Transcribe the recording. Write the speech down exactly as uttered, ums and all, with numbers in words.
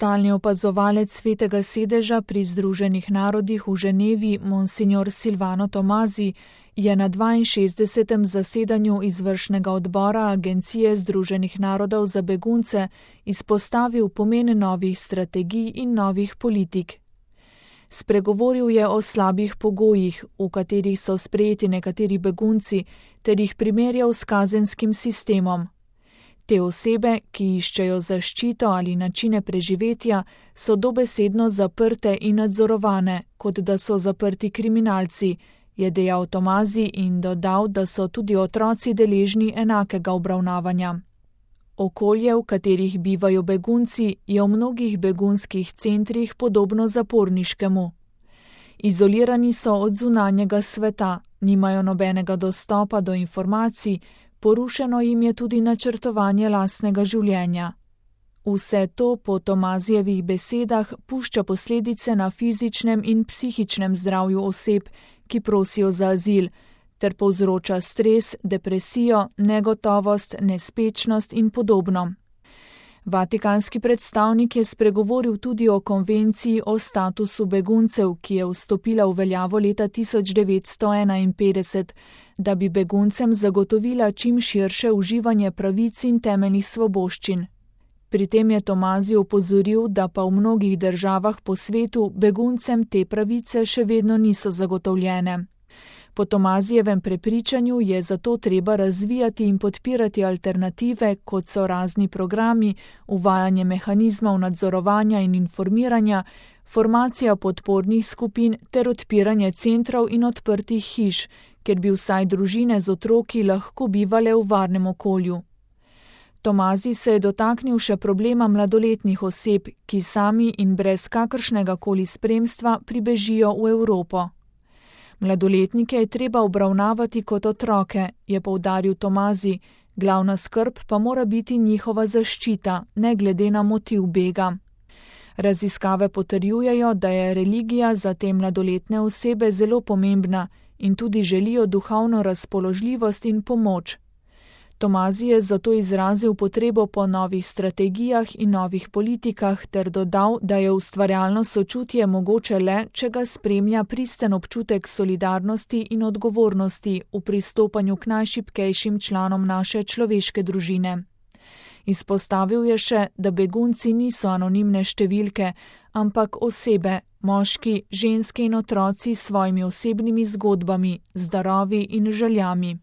Stalni opazovalec Svetega sedeža pri Združenih narodih v Ženevi, monsignor Silvano Tomazi, je na dvainšestdesetem zasedanju izvršnega odbora Agencije Združenih narodov za begunce izpostavil pomen novih strategij in novih politik. Spregovoril je o slabih pogojih, v katerih so sprejeti nekateri begunci, ter jih primerjal s kazenskim sistemom. Te osebe, ki iščejo zaščito ali načine preživetja, so dobesedno zaprte in nadzorovane, kot da so zaprti kriminalci, je dejal Tomazi in dodal, da so tudi otroci deležni enakega obravnavanja. Okolje, v katerih bivajo begunci, je v mnogih begunskih centrih podobno zaporniškemu. Izolirani so od zunanjega sveta, nimajo nobenega dostopa do informacij, porušeno jim je tudi načrtovanje lastnega življenja. Vse to po Tomazijevih besedah pušča posledice na fizičnem in psihičnem zdravju oseb, ki prosijo za azil, ter povzroča stres, depresijo, negotovost, nespečnost in podobno. Vatikanski predstavnik je spregovoril tudi o konvenciji o statusu beguncev, ki je vstopila v veljavo leta tisoč devetsto enainpetdeset, da bi beguncem zagotovila čim širše uživanje pravic in temeljnih svoboščin. Pri tem je Tomazi opozoril, da pa v mnogih državah po svetu beguncem te pravice še vedno niso zagotovljene. Po Tomazijevem prepričanju je zato treba razvijati in podpirati alternative, kot so razni programi, uvajanje mehanizmov nadzorovanja in informiranja, formacija podpornih skupin ter odpiranje centrov in odprtih hiš, kjer bi vsaj družine z otroki lahko bivale v varnem okolju. Tomazi se je dotaknil še problema mladoletnih oseb, ki sami in brez kakršnega koli spremstva pribežijo v Evropo. Mladoletnike je treba obravnavati kot otroke, je poudaril Tomazi, glavna skrb pa mora biti njihova zaščita, ne glede na motiv bega. Raziskave potrjujejo, da je religija za te mladoletne osebe zelo pomembna in tudi želijo duhovno razpoložljivost in pomoč. Tomazi je zato izrazil potrebo po novih strategijah in novih politikah ter dodal, da je ustvarjalno sočutje mogoče le, če ga spremlja pristen občutek solidarnosti in odgovornosti v pristopanju k najšibkejšim članom naše človeške družine. Izpostavil je še, da begunci niso anonimne številke, ampak osebe, moški, ženske in otroci s svojimi osebnimi zgodbami, z darovi in željami.